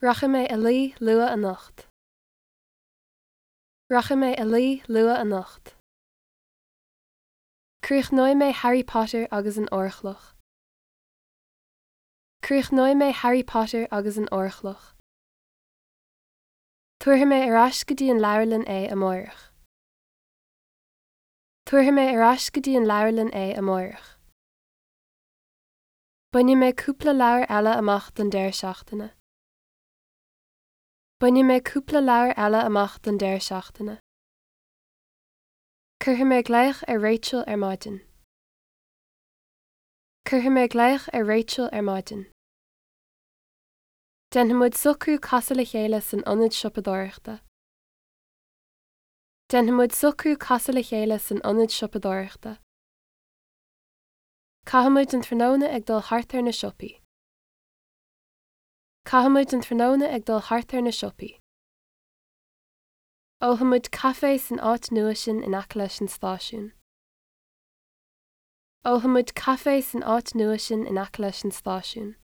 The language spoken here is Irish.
Rachaidh mé a luí luath anocht. Rachaidh mé a luí luath anocht. Críochnóidh mé Harry Potter agus an Órchloch. Críochnóidh mé Harry Potter agus an Órchloch. Tabharfaidh mé ar ais go dtí an leabharlann é amárach. Tabharfaidh mé ar ais go dtí an leabharlann é amárach. Bainfidh mé cúpla leabhar eile amach don deireadh seachtaine. Bainfidh mé cúpla leabhar eile amach don deireadh seachtaine. Cuirfidh mé glaoch ar Rachel ar maidin. Cuirfidh mé glaoch ar Rachel ar maidin. Déanfaidh muid socrú casadh le chéile san ionad siopadóireachta. Déanfaidh muid socrú casadh le chéile san ionad siopadóireachta. Caithfidh muid an tráthnóna ag dul thart ar na siopaí. Caithfidh muid an tráthnóna ag dul thart ar na siopaí. Ólfaidh muid caife san áit nua sin in aice leis an stáisiún. Ólfaidh muid caife san áit nua sin in aice leis an stáisiún.